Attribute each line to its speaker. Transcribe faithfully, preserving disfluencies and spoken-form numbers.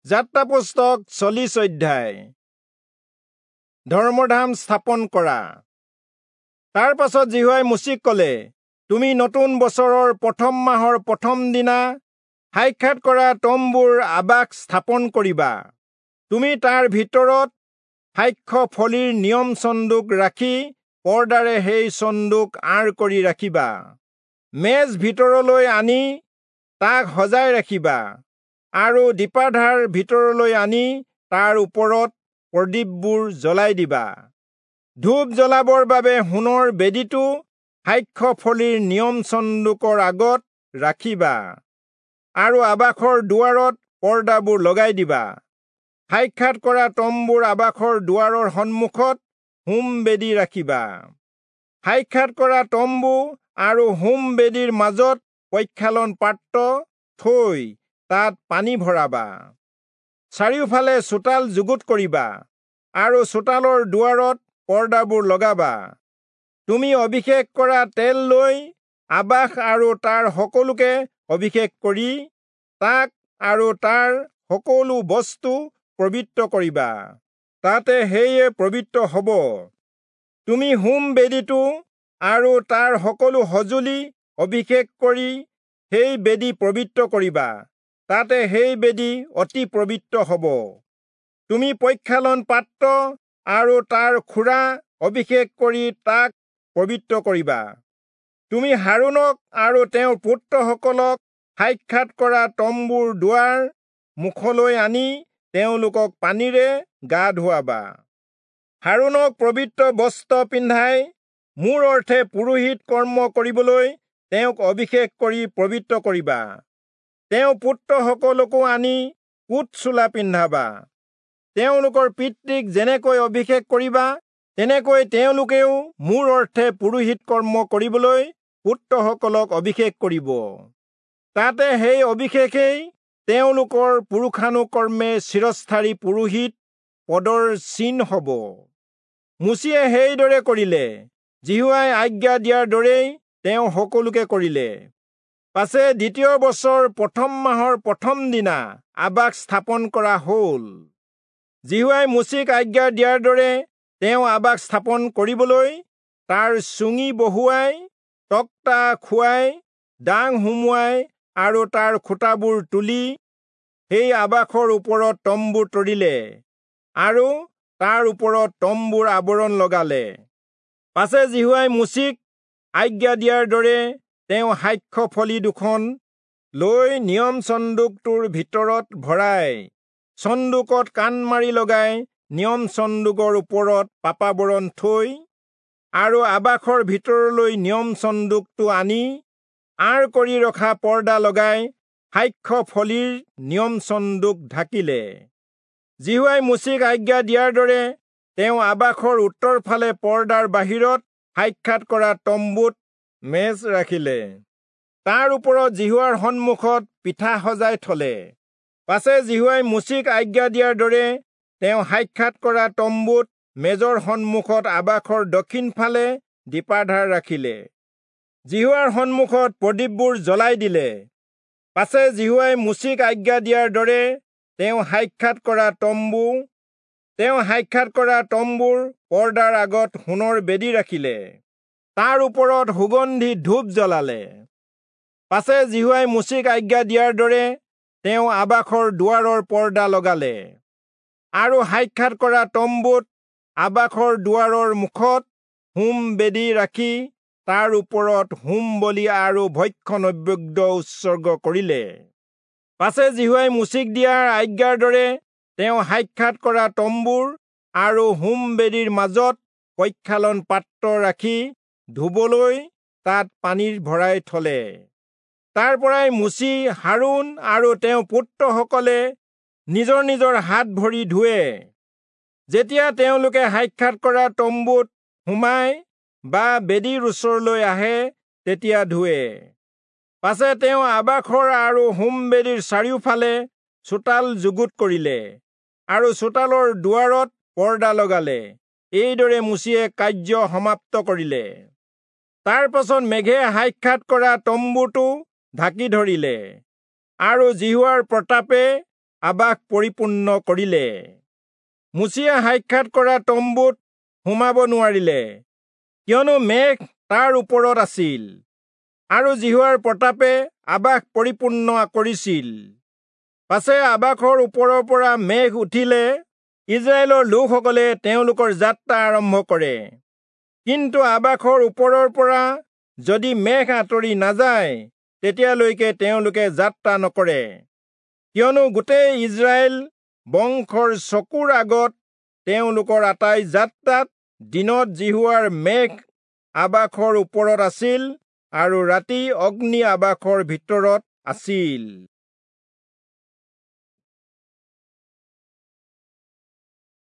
Speaker 1: যাত্ৰা পুস্তক চল্লিশ অধ্যায়। ধৰ্মধাম স্থাপন কৰা। তাৰ পাছত যিহোৱাই মোচিক কলে, তুমি নতুন বছৰৰ প্ৰথম মাহৰ প্ৰথম দিনা সাক্ষাৎ কৰা তম্বুৰ আবাস স্থাপন কৰিবা। তুমি তাৰ ভিতৰত সাক্ষ্য ফলিৰ নিয়ম চন্দুক ৰাখি পৰ্দাৰে সেই চন্দুক আঁৰ কৰি ৰাখিবা। মেজ ভিতৰলৈ আনি তাক সজাই ৰাখিবা আৰু দীপাধাৰ ভিতৰলৈ আনি তাৰ ওপৰত প্ৰদীপবোৰ জ্বলাই দিবা। ধূপ জ্বলাবৰ বাবে সোণৰ বেদীটো সাক্ষ্য ফলিৰ নিয়ম চন্দুকৰ আগত ৰাখিবা আৰু আবাসৰ দুৱাৰত পৰ্দাবোৰ লগাই দিবা। সাক্ষাৎ কৰা তম্বুৰ আবাসৰ দুৱাৰৰ সন্মুখত হোম বেদী ৰাখিবা। সাক্ষাৎ কৰা তম্বু আৰু হোম বেদীৰ মাজত প্ৰক্ষালন পাত্ৰ থৈ তাত পানী ভৰাবা। চাৰিওফালে চোতাল যুগুত কৰিবা আৰু চোতালৰ দুৱাৰত পৰ্দাবোৰ লগাবা। তুমি অভিষেক কৰা তেল লৈ আবাস আৰু তাৰ সকলোকে অভিষেক কৰি তাক আৰু তাৰ সকলো বস্তু পবিত্ৰ কৰিবা, তাতে সেয়ে পবিত্ৰ হ'ব। তুমি হোম বেদীটো আৰু তাৰ সকলো সঁজুলি অভিষেক কৰি সেই বেদী পবিত্ৰ কৰিবা, তাতে সেই বেদী অতি পবিত্ৰ হ'ব। তুমি প্ৰক্ষালন পাত্ৰ আৰু তাৰ খুৰা অভিষেক কৰি তাক পবিত্ৰ কৰিবা। তুমি হাৰোণক আৰু তেওঁৰ পুত্ৰসকলক সাক্ষাৎ কৰা তম্বুৰ দুৱাৰ মুখলৈ আনি তেওঁলোকক পানীৰে গা ধুৱাবা। হাৰোণক পবিত্ৰ বস্ত্ৰ পিন্ধাই মোৰ অৰ্থে পুৰোহিত কৰ্ম কৰিবলৈ তেওঁক অভিষেক কৰি পবিত্ৰ কৰিবা। তেওঁ পুত্ৰসকলকো আনি কোট চোলা পিন্ধাবা। তেওঁলোকৰ পিতৃক যেনেকৈ অভিষেক কৰিবা, তেনেকৈ তেওঁলোকেও মোৰ অৰ্থে পুৰোহিত কৰ্ম কৰিবলৈ পুত্ৰসকলক অভিষেক কৰিব। তাতে সেই অভিষেকেই তেওঁলোকৰ পুৰুষানুকৰ্মে চিৰস্থায়ী পুৰোহিত পদৰ চিন হ'ব। মোচিয়ে সেইদৰে কৰিলে, যিহোৱাই আজ্ঞা দিয়াৰ দৰেই তেওঁ সকলোকে কৰিলে। পাছে দ্বিতীয় বছৰ প্ৰথম মাহৰ প্ৰথম দিনা আবাস স্থাপন কৰা হ'ল। যিহোৱাই মোচিক আজ্ঞা দিয়াৰ দৰে তেওঁ আবাস স্থাপন কৰিবলৈ তাৰ চুঙি বহুৱাই, তক্তা খুৱাই, ডাং সুমুৱাই আৰু তাৰ খুঁটাবোৰ তুলি সেই আবাসৰ ওপৰত তম্বু তৰিলে আৰু তাৰ ওপৰত তম্বুৰ আৱৰণ লগালে। পাছে যিহোৱাই মোচিক আজ্ঞা দিয়াৰ দৰে তেওঁ সাক্ষ্য ফলি দুখন লৈ নিয়ম চন্দুকটোৰ ভিতৰত ভৰাই চন্দুকত কাণ মাৰি লগাই নিয়ম চন্দুকৰ ওপৰত পাপাবৰণ থৈ আৰু আবাসৰ ভিতৰলৈ নিয়ম চন্দুকটো আনি আঁৰ কৰি ৰখা পৰ্দা লগাই সাক্ষ্য ফলিৰ নিয়ম চন্দুক ঢাকিলে। যিহোৱাই মোচিক আজ্ঞা দিয়াৰ দৰে তেওঁ আবাসৰ উত্তৰ ফালে পৰ্দাৰ বাহিৰত সাক্ষাৎ কৰা তম্বুত মেজ ৰাখিলে। তাৰ ওপৰত যিহোৱাৰ সন্মুখত পিঠা সজাই থলে। পাছে যিহোৱাই মোচিক আজ্ঞা দিয়াৰ দৰে তেওঁ সাক্ষাৎ কৰা তম্বুত মেজৰ সন্মুখত আবাসৰ দক্ষিণ ফালে দীপাধাৰ ৰাখিলে। যিহোৱাৰ সন্মুখত প্ৰদীপবোৰ জ্বলাই দিলে। পাছে যিহোৱাই মোচিক আজ্ঞা দিয়াৰ দৰে তেওঁ সাক্ষাৎ কৰা তম্বু তেওঁ সাক্ষাৎ কৰা তম্বুৰ পৰ্দাৰ আগত সোণৰ বেদী ৰাখিলে। তাৰ ওপৰত সুগন্ধি ধূপ জ্বলালে। পাছে যিহোৱাই মোচিক আজ্ঞা দিয়াৰ দৰে তেওঁ আবাসৰ দুৱাৰৰ পৰ্দা লগালে আৰু সাক্ষাৎ কৰা তম্বুত আবাসৰ দুৱাৰৰ মুখত হোম বেদী ৰাখি তাৰ ওপৰত হোম বলি আৰু ভক্ষ্য নৈবেদ্য উৎসৰ্গ কৰিলে। পাছে যিহোৱাই মোচিক দিয়াৰ আজ্ঞাৰ দৰে তেওঁ সাক্ষাৎ কৰা তম্বুৰ আৰু হোম বেদীৰ মাজত প্ৰক্ষালন পাত্ৰ ৰাখি ধুবলৈ তাত পানী ভৰাই থলে। তাৰ পৰাই মোচি, হাৰোণ আৰু তেওঁৰ পুত্ৰসকলে নিজৰ নিজৰ হাত ভৰি ধুৱে। যেতিয়া তেওঁলোকে সাক্ষাৎ কৰা তম্বুত সোমায় বা বেদীৰ ওচৰলৈ আহে, তেতিয়া ধুৱে। পাছে তেওঁ আবাসৰ আৰু হোম বেদীৰ চাৰিওফালে চোতাল যুগুত কৰিলে আৰু চোতালৰ দুৱাৰত পৰ্দা লগালে। এইদৰে মোচিয়ে কাৰ্য সমাপ্ত কৰিলে। তাৰ পাছত মেঘে সাক্ষাৎ কৰা তম্বুটো ঢাকি ধৰিলে আৰু যিহোৱাৰ প্ৰতাপে আবাস পৰিপূৰ্ণ কৰিলে। মোচিয়ে সাক্ষাৎ কৰা তম্বুত সোমাব নোৱাৰিলে, কিয়নো মেঘ তাৰ ওপৰত আছিল, আৰু যিহোৱাৰ প্ৰতাপে আবাস পৰিপূৰ্ণ কৰিছিল। পাছে আবাসৰ ওপৰৰ পৰা মেঘ উঠিলে ইস্ৰায়েলৰ লোকসকলে তেওঁলোকৰ যাত্ৰা আৰম্ভ কৰে। কিন্তু আবাসৰ ওপৰৰ পৰা যদি মেঘ আঁতৰি নাযায়, তেতিয়ালৈকে তেওঁলোকে যাত্ৰা নকৰে, কিয়নো গোটেই ইস্ৰায়েল বংশৰ চকুৰ আগত তেওঁলোকৰ আটাই যাত্ৰাত দিনত যিহোৱাৰ মেঘ আবাসৰ ওপৰত আছিল আৰু ৰাতি অগ্নি আবাসৰ ভিতৰত আছিল।